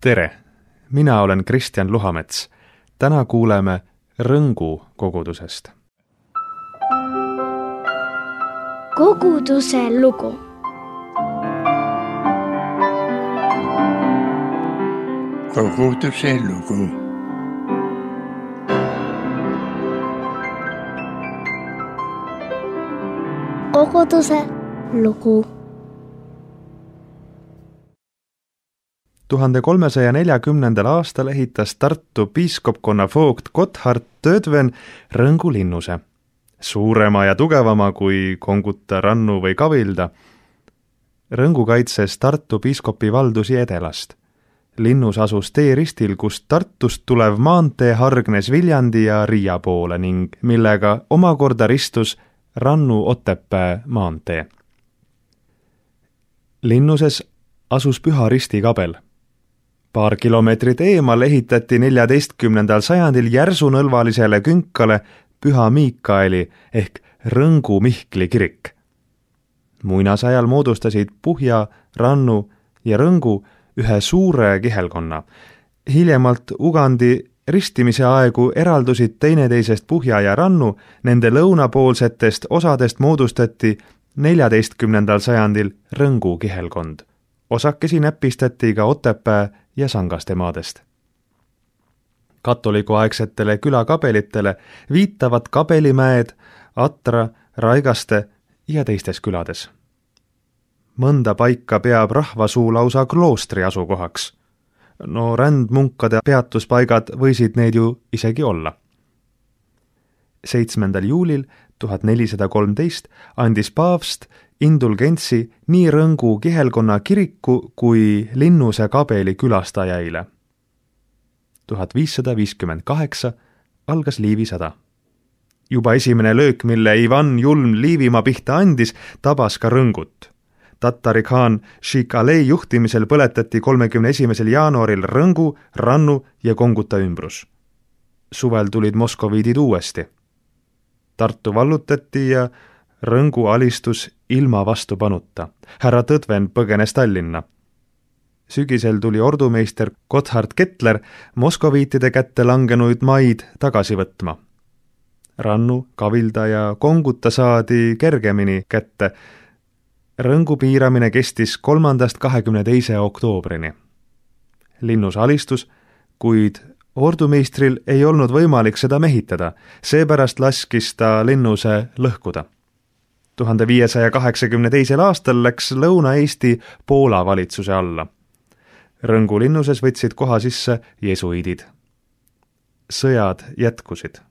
Tere! Mina olen Kristjan Luhamets. Täna kuuleme Rõngu kogudusest. Koguduse lugu. Koguduse lugu. Koguduse lugu. 1340. aastal ehitas Tartu piiskopkonna voogt Gotthard Tödven Rõngu linnuse. Suurema ja tugevama kui Konguta, Rannu või Kavilda. Rõngu kaitses Tartu piiskopi valdusi edelast. Linnus asus teeristil, kust Tartust tulev maantee hargnes Viljandi ja Riia poole ning millega omakorda ristus Rannu-Otepää maantee. Linnuses asus Püha Risti kabel. Paar kilomeetrit eemal ehitati 14. sajandil järsunõlvalisele künkale Püha Miikaeli ehk Rõngu Mihkli kirik. Muinasajal moodustasid Puhja, Rannu ja Rõngu ühe suure kihelkonna. Hiljemalt Ugandi ristimise aegu eraldusid teineteisest Puhja ja Rannu, nende lõunapoolsetest osadest moodustati 14. sajandil Rõngu kihelkond. Osakesi näpistati ka Otepää ja Sangaste maadest. Katolikuaegsetele külakabelitele viitavad Kabelimäed, Atra, Raigaste ja teistes külades. Mõnda paika peab rahvasuu lausa kloostri asukohaks. No rändmunkade peatuspaigad võisid need ju isegi olla. 7. juulil 1413 andis paavst indulgentsi nii Rõngu kihelkonna kiriku kui linnuse kabeli külastajaile. 1558 algas Liivisõda. Juba esimene löök, mille Ivan Julm Liivimaa pihta andis, tabas ka Rõngut. Tatari khaan Sheikh Alei juhtimisel põletati 31. jaanuaril Rõngu, Rannu ja Konguta ümbrus. Suvel tulid moskoviidid uuesti. Tartu vallutati ja Rõngu alistus ilma vastupanuta. Härra Tõdven põgenes Tallinna. Sügisel tuli ordumeister Gotthard Kettler moskoviitide kätte langenuid maid tagasi võtma. Rannu, Kavilda ja Konguta saadi kergemini kätte. Rõngu piiramine kestis 3.–22. oktoobrini. Linnus alistus, kuid ordumeistril ei olnud võimalik seda mehitada, seepärast laskis ta linnuse lõhkuda. 1582. aastal läks Lõuna-Eesti Poola valitsuse alla. Rõngu linnuses võtsid koha sisse jesuidid. Sõjad jätkusid.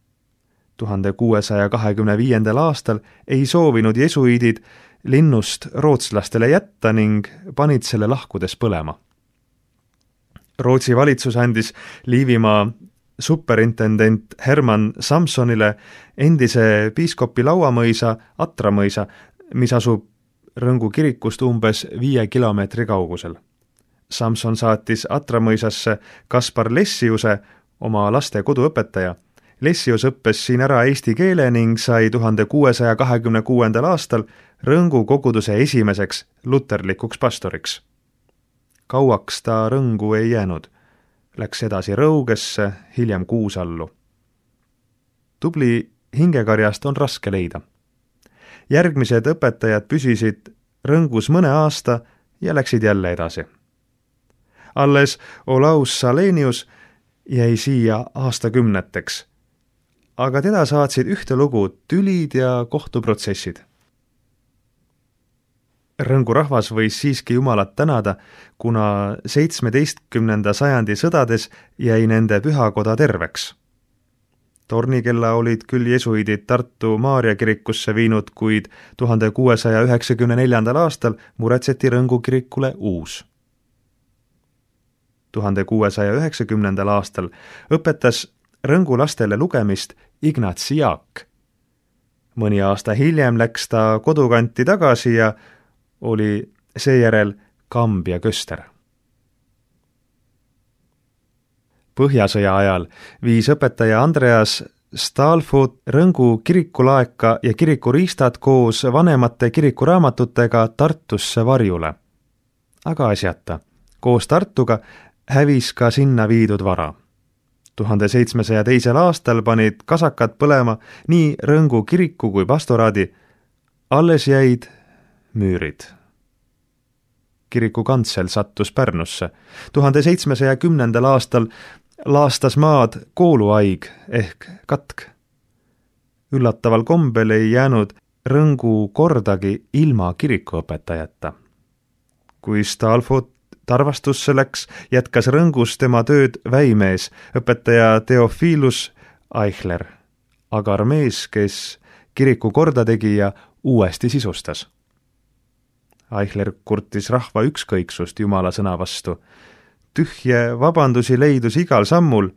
1625. aastal ei soovinud jesuidid linnust rootslastele jätta ning panid selle lahkudes põlema. Rootsi valitsus andis Liivimaa superintendent Herman Samsonile endise piiskopi lauamõisa Atramõisa, mis asub Rõngu kirikust umbes 5 kilomeetri kaugusel. Samson saatis Atramõisasse Kaspar Lessiuse, oma laste koduõpetaja. Lessius õppes siin ära eesti keele ning sai 1626. aastal Rõngu koguduse esimeseks luterlikuks pastoriks. Kauaks ta Rõngu ei jäänud. Läks edasi Rõugesse, hiljem Kuusallu. Tubli hingekarjast on raske leida. Järgmised õpetajad püsisid Rõngus mõne aasta ja läksid jälle edasi. Alles Olaus Salenius jäi siia aastakümneteks, aga teda saatsid ühtelugu tülid ja kohtuprotsessid. Rõngu rahvas võis siiski Jumalat tänada, kuna 17. sajandi sõdades jäi nende pühakoda terveks. Tornikella olid küll jesuidid Tartu Maarja kirikusse viinud, kuid 1694. aastal muretseti Rõngu kirikule uus. 1690. aastal õpetas Rõngu lastele lugemist Ignatsi Jaak. Mõni aasta hiljem läks ta kodukanti tagasi ja oli seejärel Kambja köster. Põhjasõja ajal viis õpetaja Andreas Stalfot Rõngu kirikulaeka ja kirikuriistad koos vanemate kirikuraamatutega Tartusse varjule. Aga asjata. Koos Tartuga hävis ka sinna viidud vara. 1702. aastal panid kasakad põlema nii Rõngu kiriku kui pastoraadi, alles jäid müürid. Kiriku kantsel sattus Pärnusse. 1710. aastal laastas maad kooluaig ehk katk. Üllataval kombel ei jäänud Rõngu kordagi ilma kirikuõpetajata. Kui Stalfo tarvastusse läks, jätkas Rõngus tema tööd väimees, õpetaja Theophilus Eichler, agar mees, kes kiriku korda tegi ja uuesti sisustas. Eichler kurtis rahva ükskõiksust Jumala sõna vastu. Tühje vabandusi leidus igal sammul.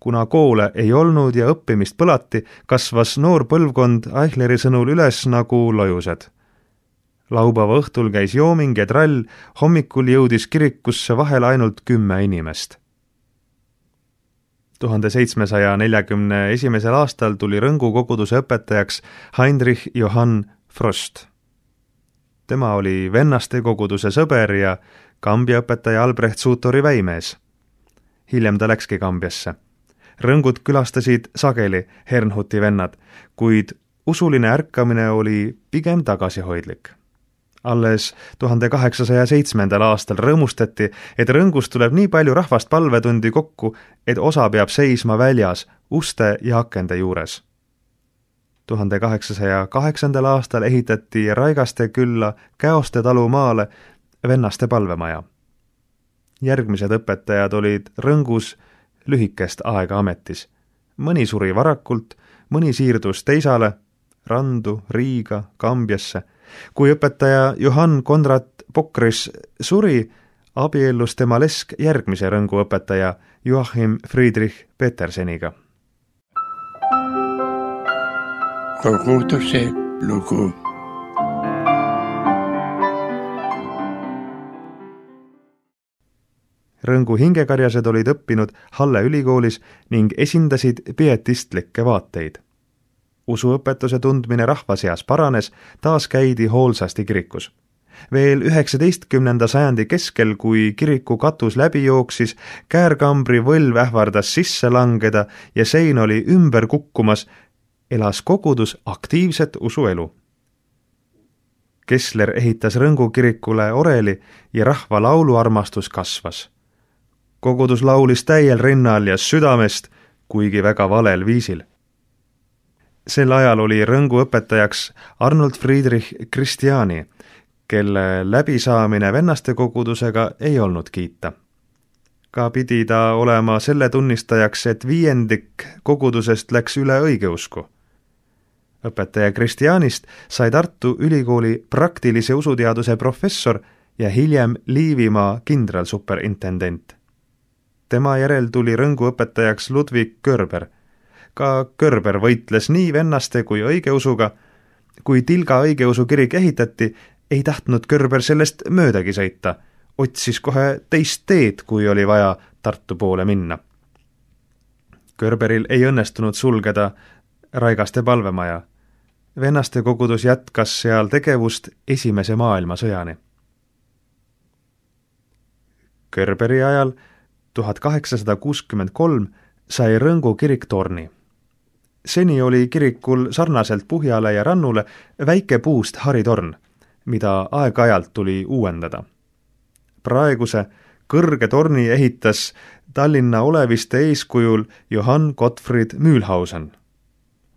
Kuna koole ei olnud ja õppimist põlati, kasvas noor põlvkond Eichleri sõnul üles nagu lojused. Laupäeva õhtul käis jooming ja trall, hommikul jõudis kirikusse vahel ainult 10 inimest. 1741. aastal tuli Rõngu koguduse õpetajaks Heinrich Johann Frost. Tema oli vennaste koguduse sõber ja Kambja õpetaja Albrecht Sutori väimees. Hiljem ta läkski Kambjasse. Rõngut külastasid sageli Hernhuti vennad, kuid usuline ärkamine oli pigem tagasihoidlik. Alles 1807. aastal rõõmustati, et Rõngus tuleb nii palju rahvast palvetundi kokku, et osa peab seisma väljas uste ja akende juures. 1808. aastal ehitati Raigaste külla Käoste talu maale vennaste palvemaja. Järgmised õpetajad olid Rõngus lühikest aega ametis. Mõni suri varakult, mõni siirdus teisale, Randu, Riiga, Kambjasse. Kui õpetaja Johann Konrad Pokris suri, abiellus tema lesk järgmise Rõngu õpetaja Joachim Friedrich Peterseniga. Koguduse lugu. Rõngu hingekarjased olid õppinud Halle ülikoolis ning esindasid pietistlikke vaateid. Usuõpetuse tundmine rahva seas paranes, taas käidi hoolsasti kirikus. Veel 19. sajandi keskel, kui kiriku katus läbi jooksis, käärkambri võlv ähvardas sisse langeda ja sein oli ümber kukkumas, elas kogudus aktiivset usuelu. Kessler ehitas Rõngu kirikule oreli ja rahva lauluarmastus kasvas. Kogudus laulis täiel rinnal ja südamest, kuigi väga valel viisil. Sel ajal oli Rõngu õpetajaks Arnold Friedrich Christiani, kelle läbisaamine vennaste kogudusega ei olnud kiita. Ka pidi ta olema selle tunnistajaks, et 5% kogudusest läks üle õigeusku. Õpetaja Christianist sai Tartu Ülikooli praktilise usuteaduse professor ja hiljem Liivimaa kindralsuperintendent. Tema järel tuli Rõngu õpetajaks Ludwig Körber. Ka Körber võitles nii vennaste kui õigeusuga. Kui Tilga õigeusu kirik ehitati, ei tahtnud Körber sellest möödagi sõita. Otsis kohe teist teed, kui oli vaja Tartu poole minna. Körberil ei õnnestunud sulgeda Raigaste palvemaja. Vennaste kogudus jätkas seal tegevust Esimese maailmasõjani. Körberi ajal 1863 sai Rõngu kirik torni. Seni oli kirikul sarnaselt Puhjale ja Rannule väike puust haritorn, mida aeg-ajalt tuli uuendada. Praeguse kõrge torni ehitas Tallinna oleviste eeskujul Johann Gottfried Mühlhausen,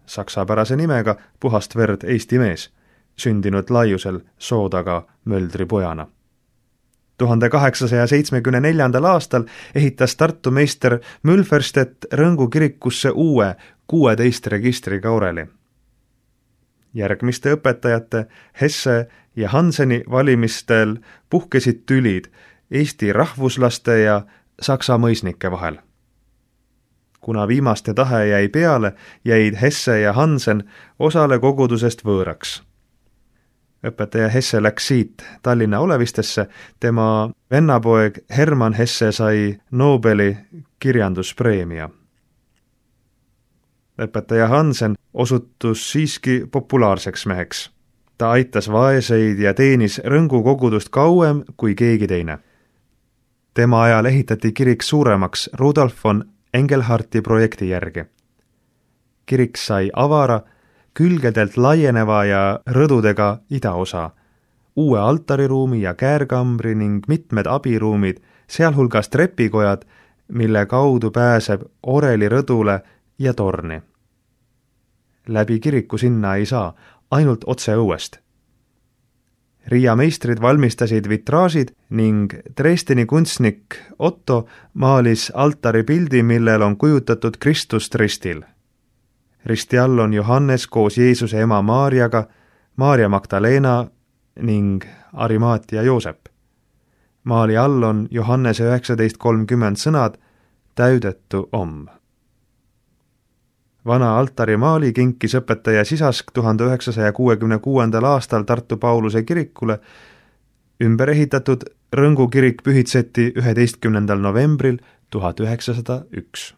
saksapärase nimega puhast verd eesti mees, sündinud laiusel Soodaga Möldri pojana. 1874. aastal ehitas Tartu meister Mülferstedt Rõngu kirikusse uue 16 registriga oreli. Järgmiste õpetajate Hesse ja Hanseni valimistel puhkesid tülid Eesti rahvuslaste ja saksa mõisnike vahel. Kuna viimaste tahe jäi peale, jäid Hesse ja Hansen osale kogudusest võõraks. Õpetaja Hesse läks siit Tallinna olevistesse, tema vennapoeg Hermann Hesse sai Nobeli kirjanduspreemia. Õpetaja Hansen osutus siiski populaarseks meheks. Ta aitas vaeseid ja teenis Rõngu kogudust kauem kui keegi teine. Tema ajal ehitati kirik suuremaks Rudolf von Engelharti projekti järgi. Kirik sai avara, külgedelt laieneva ja rõdudega idaosa, uue altariruumi ja käärkambri ning mitmed abiruumid, sealhulgas trepikojad, mille kaudu pääseb oreli rõdule ja torni. Läbi kiriku sinna ei saa, ainult otse õuest. Riia meistrid valmistasid vitraažid ning Dresdeni kunstnik Otto maalis altari pildi, millel on kujutatud Kristust ristil. Risti all on Johannes koos Jeesuse ema Maarjaga, Maarja Magdalena ning Arimaatia Joosep. Maali all on Johannese 19:30 sõnad täüdetu om. Vana altari maali kinkis õpetaja Sisask 1966. aastal Tartu Pauluse kirikule. Ümber ehitatud Rõngu kirik pühitseti 11. novembril 1901.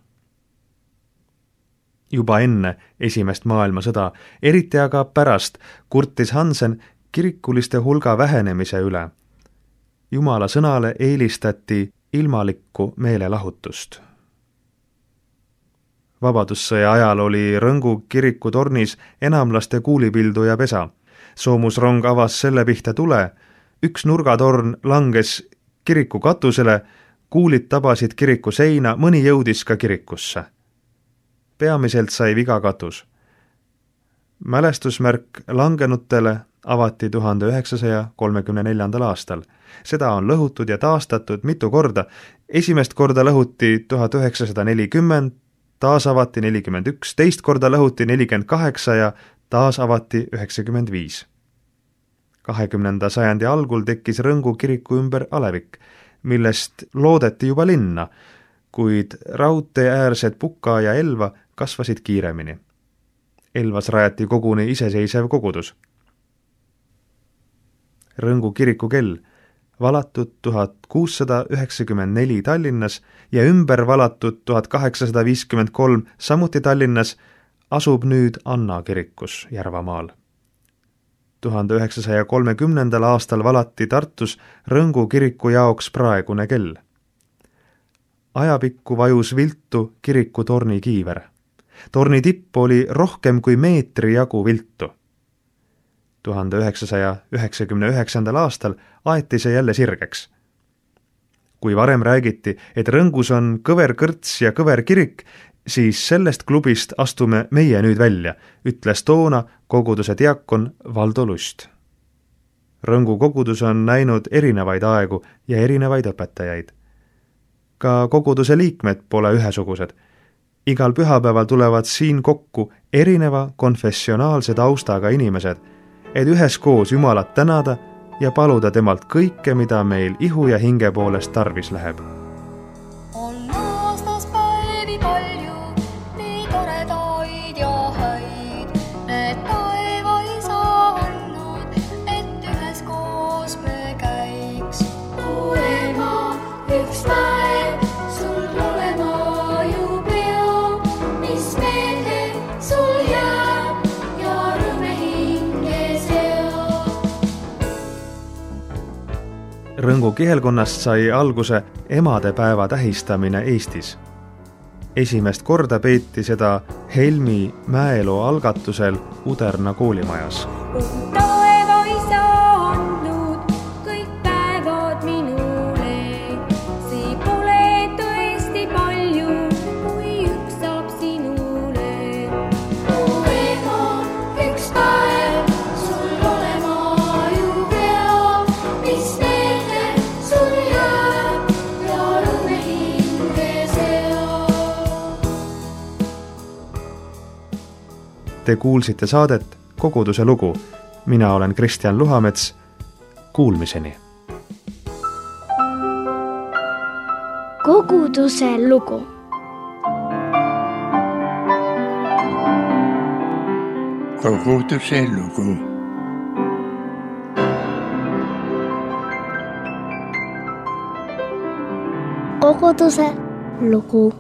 Juba enne esimest maailmasõda, eriti aga pärast, kurtis Hansen kirikuliste hulga vähenemise üle. Jumala sõnale eelistati ilmalikku meelelahutust. Vabadussõja ajal oli Rõngu kiriku tornis enamlaste kuulipildu ja pesa. Soomusrong avas selle pihta tule, üks nurgatorn langes kiriku katusele, kuulid tabasid kiriku seina, mõni jõudis ka kirikusse. Peamiselt sai viga katus. Mälestusmärk langenutele avati 1934. aastal. Seda on lõhutud ja taastatud mitu korda. Esimest korda lõhuti 1940, taas avati 41, teist korda lõhuti 48 ja taas avati 95. 20. sajandi algul tekkis Rõngu kiriku ümber alevik, millest loodeti juba linna, kuid raudteeäärsed Puka ja Elva kasvasid kiiremini. Elvas rajati koguni iseseisev kogudus. Rõngu kiriku kell valatud 1694 Tallinnas ja ümber valatud 1853 samuti Tallinnas asub nüüd Anna kirikus Järvamaal. 1930. aastal valati Tartus Rõngu kiriku jaoks praegune kell. Ajapikku vajus viltu kiriku torni kiiver. Torni tipp oli rohkem kui meetri jagu viltu. 1999. aastal aeti see jälle sirgeks. Kui varem räägiti, et Rõngus on kõver kõrts ja kõver kirik, siis sellest klubist astume meie nüüd välja, ütles toona koguduse diakon Valdo Lust. Rõngu kogudus on näinud erinevaid aegu ja erinevaid õpetajaid. Ka koguduse liikmed pole ühesugused. Igal pühapäeval tulevad siin kokku erineva konfessionaalse taustaga inimesed, et üheskoos Jumalat tänada ja paluda temalt kõike, mida meil ihu ja hinge poolest tarvis läheb. On aastas päevi palju, nii toredaid ja häid, need taeva isa andnud, et üheskoos me käiks. O ema, üks päev sul olema ju pea, mis meelde sul jääb ja rõõme hinge seab. Rõngu kihelkonnast sai alguse emadepäeva tähistamine Eestis. Esimest korda peeti seda Helmi Mäeloo algatusel Uderna koolimajas. Taeva isa andnud kõik päevad minule, see pole tõesti palju, kui üks saab sinule. O ema, üks päev sul olema ju pea, mis meelde sul jääb ja rõõme hinge seab. Te kuulsite saadet Koguduse lugu. Mina olen Kristjan Luhamets. Kuulmiseni. Koguduse lugu. Koguduse lugu. Koguduse lugu.